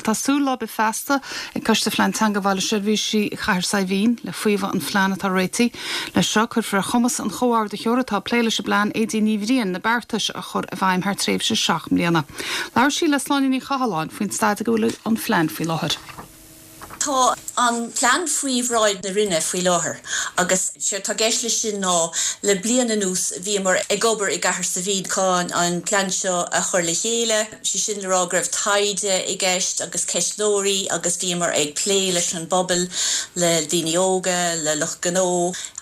Bhuel tá súil láibe feasta ag Coiste Phlean Teanga Bhaile Seirbhísí Chathair Saidhbhín le faomhadh an phlean atá réitithe. Leis seo cuirfear ar chumas an chomhordaitheora atá ag plé leis an bplean, Aedín Ní Bhriain, na beartais a chur i bhfeidhm thar tréimhse 7 mbliana. Labhair sí le Sláine Ní Chathalláin faoin staid ag a bhfuil an phlean faoi láthair. Tá an plean faoi bhráid na Roinne faoi láthair agus séard tá i gceist leis sin ná le bliain anuas bhíomar ag obair i gCathair Saidhbhín chun an plean seo a chur le chéile, sé sin le rá go raibh taighde i gceist agus ceistneoirí agus bhíomar ag plé leis an bpobal, le daoine óga, le lucht gnó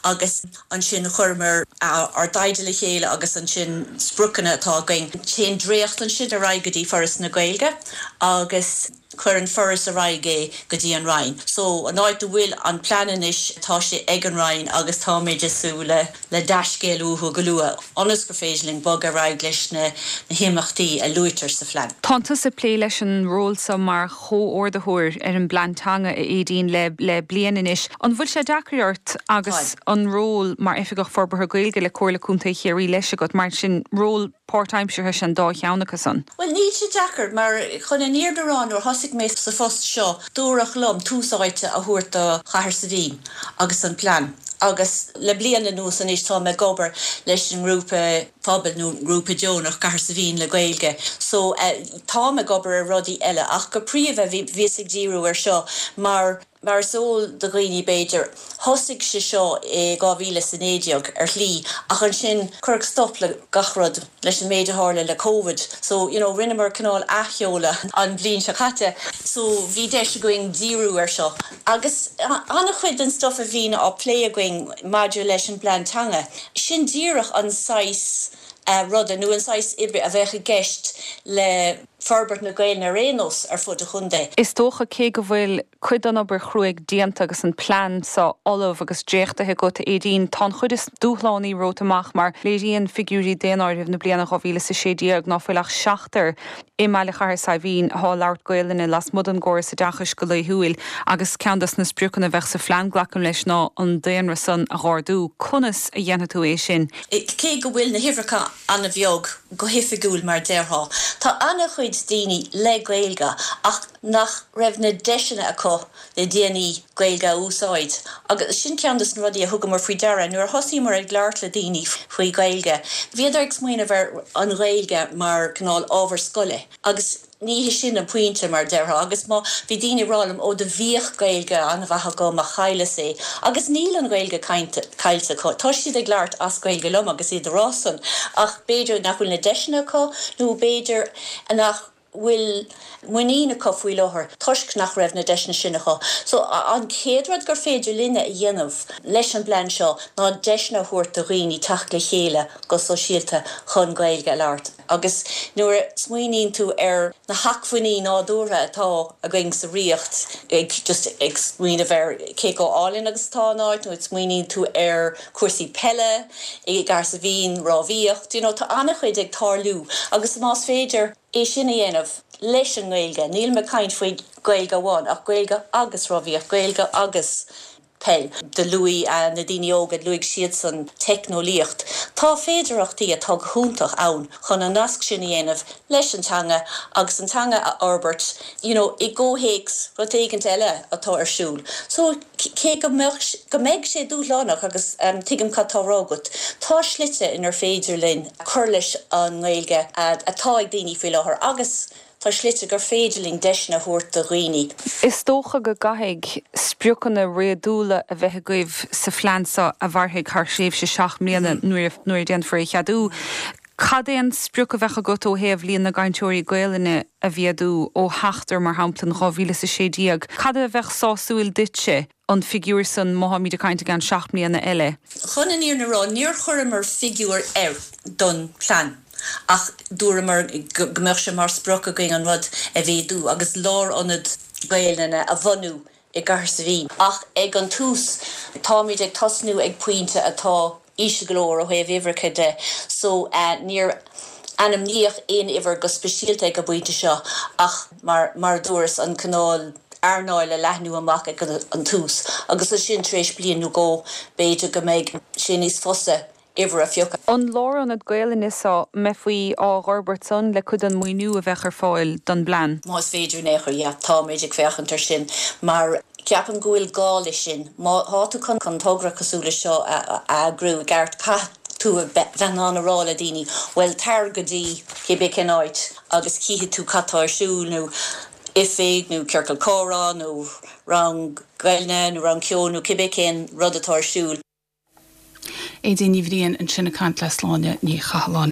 agus ansin chuireamar ár dtaighde le chéile agus ansin spriocanna atá againn. Téann dréacht ansin ar aghaidh go dtí Foras na Gaeilge agus. Cuireann Foras ar aghaidh é go dtí an Roinn. So, an áit a bhfuil an plean anois, tá sé ag an Roinn agus táimid ag súil le le dea-scéal uathu go luath, ionas gur féidir linn bogadh ar aghaidh leis na himeachtaí a luaitear sa phlean. Tánn tusa ag plé leis an ról seo mar chomhordaitheoir ar an bplean teanga, a Aedín, le le bliain anois. An bhfuil sé deacair ort agus an ról mar Oifigeach Forbartha Gaeilge le Comhairle Contae Chiarraí leis agat, mar sin, ról páirtaimseartha is ea an dá cheann acu san. Bhuel, níl sé deacair, mar chun an fhírinne a rá, nuair a thosaigh mé sa phost seo, dúradh liom tús áite a thabhairt do Chathair Saidhbhín agus an plean. Agus le bliain anuas anois táim ag obair leis an ngrúpa pobail nó grúpa deonach Cathair Saidhbhín le Gaeilge. So, táim ag obair ar rudaí eile ach go príomha bhíos ag díriú ar seo mar Mar is eol do dhaoine b'fhéidir, thosaigh sé seo i 2019 ar shlí ach ansin cuireadh stop le gach rud leis an méid a tharla le Covid. So, you know, rinneamar cineál athsheoladh an bhliain seo caite. So bhí deis againn díriú ar seo. Agus an-chuid den stuff a bhíonn á plé againn maidir leis an bplean teanga, sin díreach an saghas ruda nó an saghas oibre a bheadh i gceist le forbairt na Gaelainne ar aon nós ar fud an chontae. Is dócha, cé go bhfuil cuid den obair chruaidh déanta agus an plean seo ullamh agus dréachtaithe agat, a Aedín, tá an chuid is dúshlánaí romhat amach mar léiríonn figiúirí daonáirimh na bliana 2016 ná fuil ach seachtar i mbaile Chathair Saidhbhín athá ag labhairt Gaolainne lasmuigh den gcóras oideachais go laethúil agus ceann dos na spriocanna a bheadh sa phlean, glacaim leis, ná an daonra san a dh'ardú. Conas a dhéanfaidh tú é sin? Cé go bhfuil na huimhreacha an-bheag go hoifigiúil mar déarfá, tá an-chuid daoine le Gaeilge ach nach raibh na deiseanna acu le déanaí Gaeilge a úsáid agus sin ceann de na rudaí a thugamar faoi deara nuair a thosaíomar ag labhairt le daoine faoi Ghaeilge. Bhíodar ag smaoineamh ar an Ghaeilge mar cineál ábhar scoile agus ní hé sin an pointe mar déarfá agus má bhí daoine ag rá liom ó do bhíodh Gaeilge an-mhaith agam ach chailleas é agus níl an Ghaeilge caillte acu, tá siad ag labhairt as Gaeilge liom agus iad ag rá san ach b'fhéidir nach bhfuil na deiseanna acu nó b'fhéidir nach bhfuil muinín acu faoi láthair toisc nach raibh na deiseanna sin acu. So an chéad rud gur féidir linne a dhéanamh leis an bplean seo ná deiseanna a thabhairt do dhaoine teacht le chéile go sóisialta chun Gaeilge a labhairt. Agus nuair a smaoiníonn tú ar na hacmhainní nádúrtha atá againn sa Ríocht, ag just ag smaoineamh ar cé chomh álainn agus atá an áit, nó ag smaoiníonn tú ar chúrsaí peile i gCathair Saidhbhín, rámhaíocht, you know, tá an-chuid ag tarlú agus más féidir é sin a dhéanamh leis an nGaeilge, nílim ag caint faoi Ghaeilge amháin ach Gaeilge agus rámhaíocht, Gaeilge agus peil. Do luaigh na daoine óga, luaigh siadsan teicneolaíocht. Tá féidearthachtaí atá go hiontach ann chun an nasc sin a dhéanamh leis an teanga agus an teanga a fhorbairt you know i gcomhthéacs rud éigint eile atá ar siúl. So cé go mbeadh, go mbeidh sé dúshlánach agus tuigim cad tá á rá agat, tá slite inar féidir linn cur leis an nGaeilge atá ag daoine faoi láthair agus Tá slite gur féidir linn deiseanna a thabhairt do dhaoine. Is dócha go gcaithfidh spriocanna réadúla a bheith agaibh sa phlean seo a mhairfidh thar thréimhse 7 mbliana nuair a déanfar é a cheadú. Cad é an sprioc a bheadh agat ó thaobh líon na gcainteoirí Gaelainne a mhéadú ó sheachtar, mar shampla, in 2016? Cad a bheadh sásúil duitse? an figiúr san má tháimid ag caint i gceann 7 mbliana eile. Chun an fhírinne a rá, níor chuireamar figiúr air don phlean ach dúramar go mbeadh sé mar sprioc againn an rud a mhéadú agus lárionad Gaelainne a bhunú i gCathair Saidhbhín. Ach ag an tús, táimid ag tosnú ag pointe atá íseal go leor ó thaobh uimhreacha de so níor ainmníodh aon uimhir go speisialta ag an bpointe seo ach mar mar a dúras an cineál earnáil a leathnú amach ag an tús agus ansin tar éis bliain nó dhó b'fhéidir go mbeidh sé níos fusa. Uimhir a phiocadh. An lárionad Gaelainne seo, mbeifí á dh'fhorbairt san le cuid den maoiniú a bheadh ar fáil don bplean? Más féidir in aon chor, yeah, táimid ag féachaint ar sin mar ceapaim go bhfuil gá leis sin. Má thá tú chun togra cosúil le seo a eagrú i gceart, caithfidh tú a bheith in ann a rá le daoine, bhuel, tar go dtí cibé cén áit agus cífidh tú cad tá ar siúl nó oifig nó ciorcal comhrá nó rang Gaelainne nó rang ceoil nó cibé cén rud atá ar siúl. Aedín Ní Bhriain ansin ag caint le Sláine Ní Chathalláin.